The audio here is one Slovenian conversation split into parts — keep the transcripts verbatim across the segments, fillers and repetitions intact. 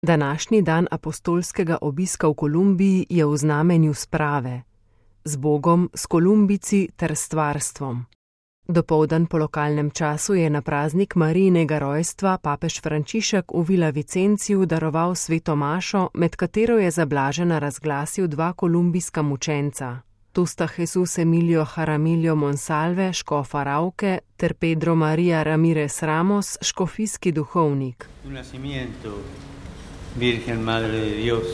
Današnji dan apostolskega obiska v Kolumbiji je v znamenju sprave, z Bogom, s Kolumbijci ter stvarstvom. Dopoldan po lokalnem času je na praznik Marijinega rojstva papež Frančišek v Villa Vicenciju daroval sveto mašo, med katero je za blažena razglasil dva kolumbijska mučenca. Tu sta Jesus Emilio Jaramillo Monsalve, škof Arauke, ter Pedro María Ramírez Ramos, škofijski duhovnik. Virgen Madre de Dios,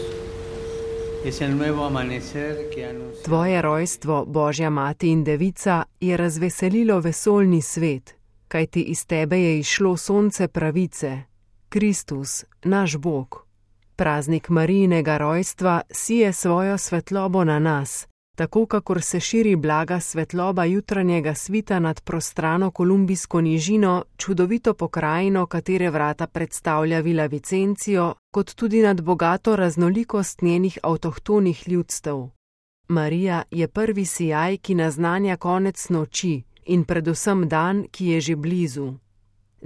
es el nuevo amanecer que anuncia... Tvoje rojstvo, Božja mati in devica, je razveselilo vesoljni svet, kajti iz tebe je izšlo sonce pravice, Kristus, naš Bog. Praznik Marijinega rojstva sije svojo svetlobo na nas, tako kakor se širi blaga svetloba jutranjega svita nad prostrano kolumbijsko nižino, čudovito pokrajino, katere vrata predstavlja Villa Vicencijo, kot tudi nad bogato raznolikost njenih avtohtonih ljudstev. Marija je prvi sijaj, ki naznanja konec noči in predvsem dan, ki je že blizu.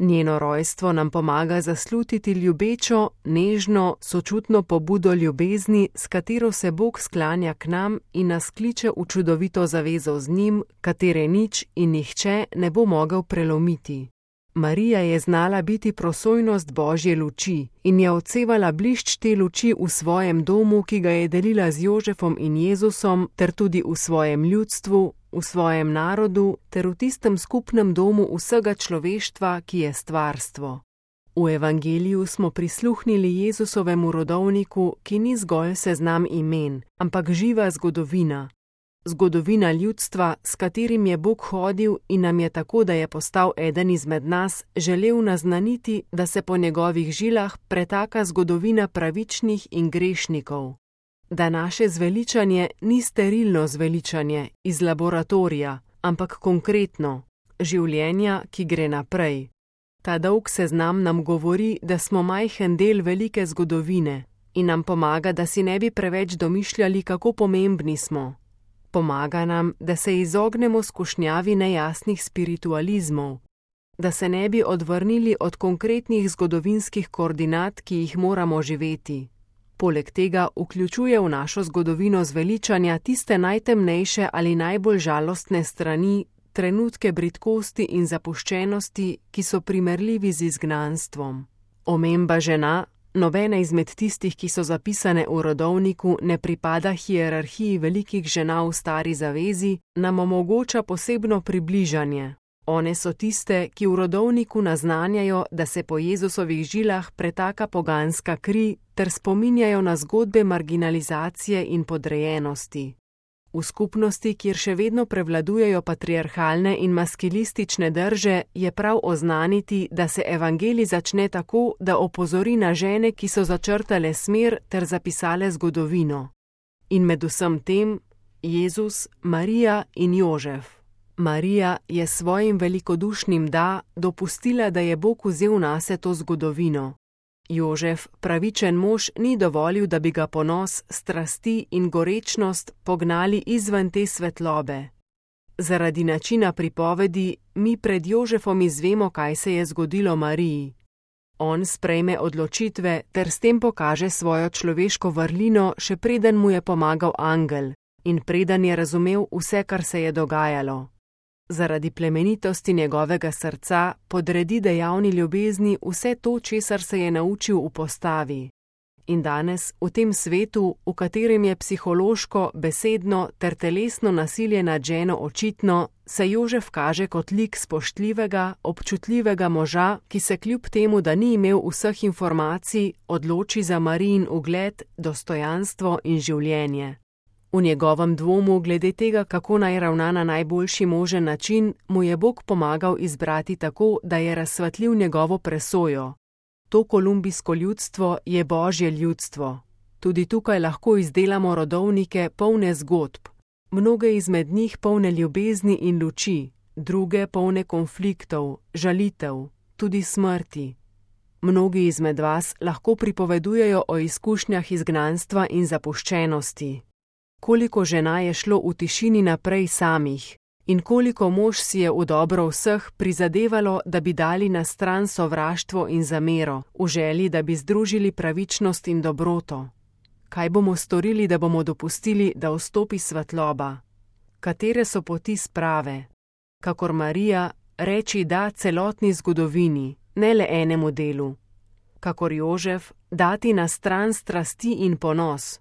Njeno rojstvo nam pomaga zaslutiti ljubečo, nežno, sočutno pobudo ljubezni, s katero se Bog sklanja k nam in nas kliče v čudovito zavezo z njim, katere nič in nihče ne bo mogel prelomiti. Marija je znala biti prosojnost Božje luči in je odsevala blišč te luči v svojem domu, ki ga je delila z Jožefom in Jezusom, ter tudi v svojem ljudstvu, v svojem narodu ter v tistem skupnem domu vsega človeštva, ki je stvarstvo. V evangeliju smo prisluhnili Jezusovemu rodovniku, ki ni zgolj seznam imen, ampak živa zgodovina. Zgodovina ljudstva, s katerim je Bog hodil in nam je tako, da je postal eden izmed nas, želel naznaniti, da se po njegovih žilah pretaka zgodovina pravičnih in grešnikov. Da naše zveličanje ni sterilno zveličanje iz laboratorija, ampak konkretno, življenja, ki gre naprej. Ta dolg seznam nam govori, da smo majhen del velike zgodovine in nam pomaga, da si ne bi preveč domišljali, kako pomembni smo. Pomaga nam, da se izognemo skušnjavi nejasnih spiritualizmov, da se ne bi odvrnili od konkretnih zgodovinskih koordinat, ki jih moramo živeti. Poleg tega vključuje v našo zgodovino zveličanja tiste najtemnejše ali najbolj žalostne strani, trenutke bridkosti in zapuščenosti, ki so primerljivi z izgnanstvom. Omemba žena, nobena izmed tistih, ki so zapisane v rodovniku, ne pripada hierarhiji velikih žena v stari zavezi, nam omogoča posebno približanje. One so tiste, ki v rodovniku naznanjajo, da se po Jezusovih žilah pretaka poganska kri, ter spominjajo na zgodbe marginalizacije in podrejenosti. V skupnosti, kjer še vedno prevladujejo patriarhalne in maskilistične drže, je prav oznaniti, da se evangelij začne tako, da opozori na žene, ki so začrtale smer ter zapisale zgodovino. In med vsem tem Jezus, Marija in Jožef. Marija je svojim velikodušnim da dopustila, da je Bog vzel nase to zgodovino. Jožef, pravičen mož, ni dovolil, da bi ga ponos, strasti in gorečnost pognali izven te svetlobe. Zaradi načina pripovedi mi pred Jožefom izvemo, kaj se je zgodilo Mariji. On sprejme odločitve ter s tem pokaže svojo človeško vrlino, še preden mu je pomagal angel in preden je razumel vse, kar se je dogajalo. Zaradi plemenitosti njegovega srca podredi dejavni ljubezni vse to, česar se je naučil v postavi. In danes, v tem svetu, v katerem je psihološko, besedno ter telesno nasilje nad ženo očitno, se Jožef kaže kot lik spoštljivega, občutljivega moža, ki se kljub temu, da ni imel vseh informacij, odloči za Marijin ugled, dostojanstvo in življenje. V njegovem dvomu glede tega, kako naj ravna na najboljši možen način, mu je Bog pomagal izbrati tako, da je razsvetlil njegovo presojo. To kolumbijsko ljudstvo je Božje ljudstvo. Tudi tukaj lahko izdelamo rodovnike polne zgodb. Mnoge izmed njih polne ljubezni in luči, druge polne konfliktov, žalitev, tudi smrti. Mnogi izmed vas lahko pripovedujejo o izkušnjah izgnanstva in zapuščenosti. Koliko žena je šlo v tišini naprej samih In koliko mož si je v dobro vseh prizadevalo, da bi dali na stran sovraštvo in zamero, v želji, da bi združili pravičnost in dobroto. Kaj bomo storili, da bomo dopustili, da vstopi svetloba? Katere so poti sprave? Kakor Marija, reči da celotni zgodovini, ne le enemu delu. Kakor Jožef, dati na stran strasti in ponos.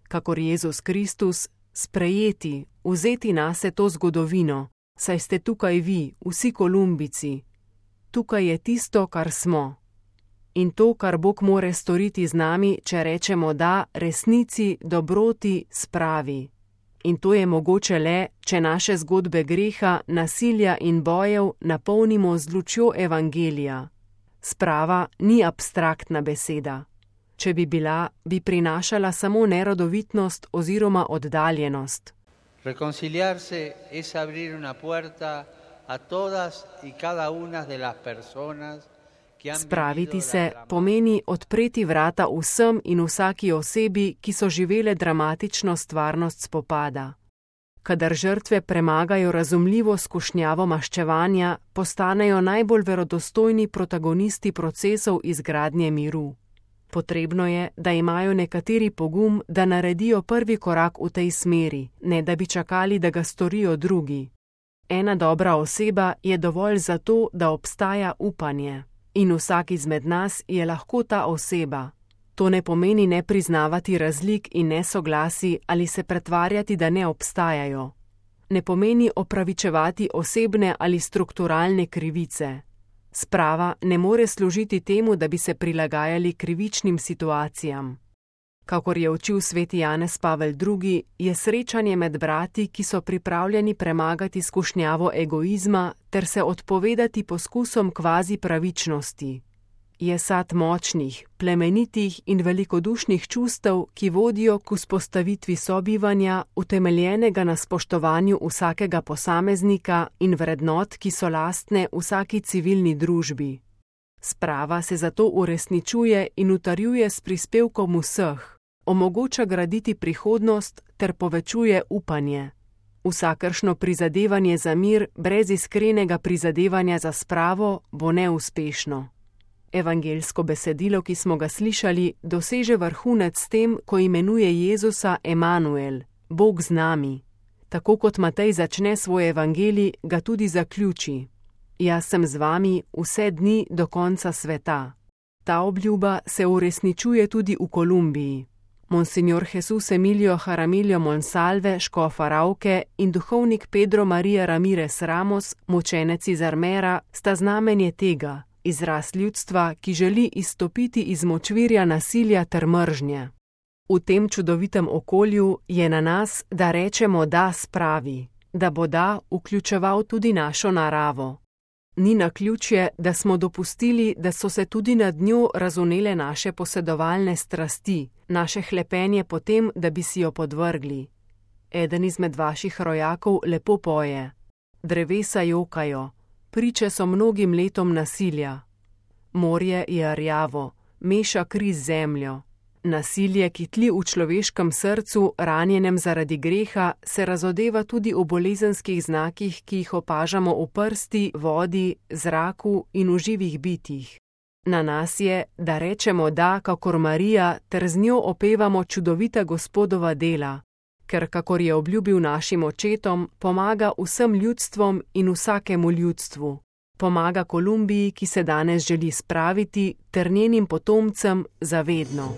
Kakor Jezus Kristus, sprejeti, vzeti nase to zgodovino, saj ste tukaj vi, vsi Kolumbici. Tukaj je tisto, kar smo. In to, kar Bog more storiti z nami, če rečemo da resnici, dobroti, spravi. In to je mogoče le, če naše zgodbe greha, nasilja in bojev napolnimo z lučjo evangelija. Sprava ni abstraktna beseda. Če bi bila, bi prinašala samo nerodovitnost oziroma oddaljenost. Reconciliarse es abrir una puerta a todas y cada una de las personas que han Spraviti se pomeni odpreti vrata vsem in vsaki osebi, ki so živele dramatično stvarnost spopada. Kadar žrtve premagajo razumljivo skušnjavo maščevanja, postanejo najbolj verodostojni protagonisti procesov izgradnje miru. Potrebno je, da imajo nekateri pogum, da naredijo prvi korak v tej smeri, ne da bi čakali, da ga storijo drugi. Ena dobra oseba je dovolj za to, da obstaja upanje. In vsak izmed nas je lahko ta oseba. To ne pomeni ne priznavati razlik in nesoglasi ali se pretvarjati, da ne obstajajo. Ne pomeni opravičevati osebne ali strukturalne krivice. Sprava ne more služiti temu, da bi se prilagajali krivičnim situacijam. Kakor je učil sveti Janez Pavel drugi, je srečanje med brati, ki so pripravljeni premagati skušnjavo egoizma ter se odpovedati poskusom kvazi pravičnosti. Je sad močnih, plemenitih in velikodušnih čustev, ki vodijo k vzpostavitvi sobivanja, utemeljenega na spoštovanju vsakega posameznika in vrednot, ki so lastne vsaki civilni družbi. Sprava se zato uresničuje in utrjuje s prispevkom vseh, omogoča graditi prihodnost ter povečuje upanje. Vsakršno prizadevanje za mir brez iskrenega prizadevanja za spravo bo neuspešno. Evangeljsko besedilo, ki smo ga slišali, doseže vrhunec s tem, ko imenuje Jezusa Emanuel, Bog z nami. Tako kot Matej začne svoj evangelij, ga tudi zaključi. Jaz sem z vami vse dni do konca sveta. Ta obljuba se uresničuje tudi v Kolumbiji. Monsignor Jesus Emilio Jaramillo Monsalve, škof Arauke, in duhovnik Pedro María Ramírez Ramos, mučenec iz Armera, sta znamenje tega, izraz ljudstva, ki želi izstopiti iz močvirja nasilja ter mržnje. V tem čudovitem okolju je na nas, da rečemo da spravi, da bo da vključeval tudi našo naravo. Ni naključje, da smo dopustili, da so se tudi nad njo razvnele naše posedovalne strasti, naše hlepenje po tem, da bi si jo podvrgli. Eden izmed vaših rojakov lepo poje. Drevesa jokajo, priče so mnogim letom nasilja. Morje je rjavo, meša kri z zemljo. Nasilje, ki tli v človeškem srcu, ranjenem zaradi greha, se razodeva tudi v bolezenskih znakih, ki jih opažamo v prsti, vodi, zraku in v živih bitjih. Na nas je, da rečemo da, kakor Marija, ter z njo opevamo čudovita Gospodova dela, ker, kakor je obljubil našim očetom, pomaga vsem ljudstvom in vsakemu ljudstvu. Pomaga Kolumbiji, ki se danes želi spraviti, ter njenim potomcem za vedno.